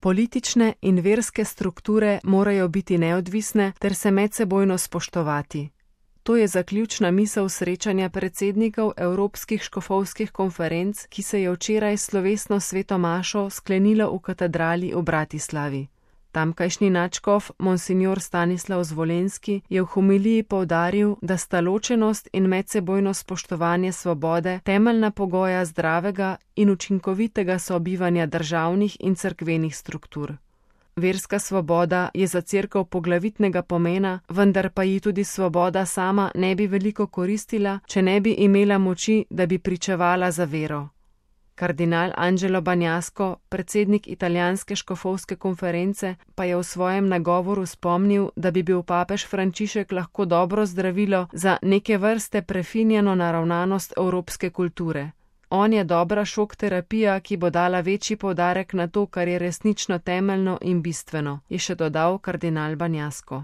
Politične in verske strukture morajo biti neodvisne ter se medsebojno spoštovati. To je zaključna misel srečanja predsednikov Evropskih škofovskih konferenc, ki se je včeraj s slovesno sveto mašo sklenilo v katedrali v Bratislavi. Tamkajšnji nadškof monsignor Stanislav Zvolenski je v homiliji poudaril, da sta ločenost in medsebojno spoštovanje svobode temeljna pogoja zdravega in učinkovitega sobivanja državnih in cerkvenih struktur. Verska svoboda je za cerkev poglavitnega pomena, vendar pa ji tudi svoboda sama ne bi veliko koristila, če ne bi imela moči, da bi pričevala za vero. Kardinal Angelo Bagnasco, predsednik italijanske škofovske konference, pa je v svojem nagovoru spomnil, da bi bil papež Frančišek lahko dobro zdravilo za neke vrste prefinjeno naravnanost evropske kulture. On je dobra šok terapija, ki bo dala večji poudarek na to, kar je resnično temeljno in bistveno, je še dodal kardinal Bagnasco.